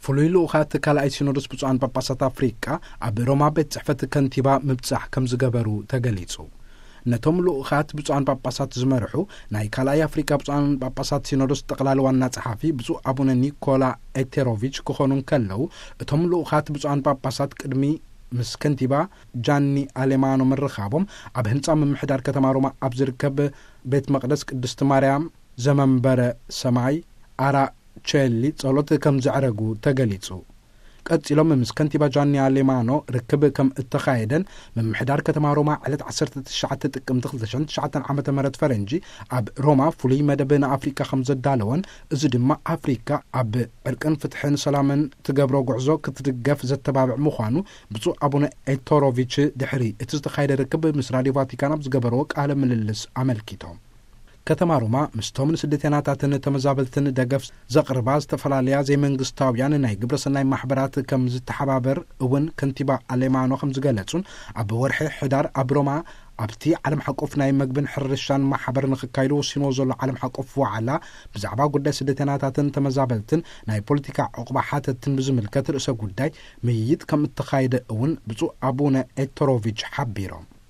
ፍሉይ ልኡኻት ካልኣይ ሲኖዶስ ብፁዓን ጳጳሳት ኣፍሪቃ ኣብ ሮማ ቤት ጽሕፈት ከንቲባ ምብጻሕ ከም ዝገበሩ ተገሊጹ። ነቶም ልኡኻት ብፁዓን ጳጳሳት ዝመርሑ ናይ ካልኣይ ኣፍሪቃ ብፁዓን ጳጳሳት ሲኖዶስ ጠቕላሊ ዋና ጸሓፊ ብፁዕ ኣቡነ ኒኮላ ኤቴሮቪች ክኾኑ እንከለዉ፣ እቶም ልኡኻት ብፁዓን ጳጳሳት ቅድሚ ምስ ከንቲባ ጃኒ ኣሌማኖ ምርኻቦም፣ ኣብ ህንጻ ምምሕዳር ከተማ ሮማ ኣብ ዝርከብ ቤት መቕደስ ቅድስቲ ማርያም ዘመንበረ ሰማይ ኣራ ቸሊ ጸሎት ከም ዘዕረጉ ተገሊጹ። ቀጺሎም ምስ ከንቲባ ጃኒ ኣሌማኖ ርክብ ከም እተኻየደን፣ ምምሕዳር ከተማ ሮማ ዕለት ዓሰርተ ትሽዓተ ጥቅምቲ ክልተ ሽሕን ትሽዓተን ዓመተ ምህረት ፈረንጂ ኣብ ሮማ ፍሉይ መደብ ንኣፍሪካ ከም ዘዳለወን፣ እዚ ድማ ኣፍሪካ ኣብ ዕርቅን ፍትሕን ሰላምን ትገብሮ ጉዕዞ ክትድገፍ ዘተባብዕ ምዃኑ ብፁዕ ኣቡነ ኤቶሮቪች ድሕሪ እቲ ዝተኻየደ ርክብ ምስ ራድዮ ቫቲካን ኣብ ዝገበርዎ ቃለ ምልልስ ኣመልኪቶም። ከተማ ሮማ ምስቶም ንስደተናታትን ተመዛበልትን ደገፍ ዘቕርባ ዝተፈላለያ ዘይመንግስታውያን ናይ ግብረሰናይ ማሕበራት ከም ዝተሓባበር እውን ከንቲባ ኣሌማኖ ከም ዝገለጹን፣ ኣብ ወርሒ ሕዳር ኣብ ሮማ ኣብቲ ዓለም ሓቆፍ ናይ መግብን ሕርሻን ማሕበር ንክካይዱ ወሲንዎ ዘሎ ዓለም ሓቆፍ ዋዕላ ብዛዕባ ጉዳይ ስደተናታትን ተመዛበልትን ናይ ፖለቲካ ዕቑባ ሓተትን ብዝምልከት ርእሰ ጉዳይ ምይይጥ ከም እተኻየደ እውን ብፁዕ ኣቡነ ኤቶሮቪች ሓቢሮም።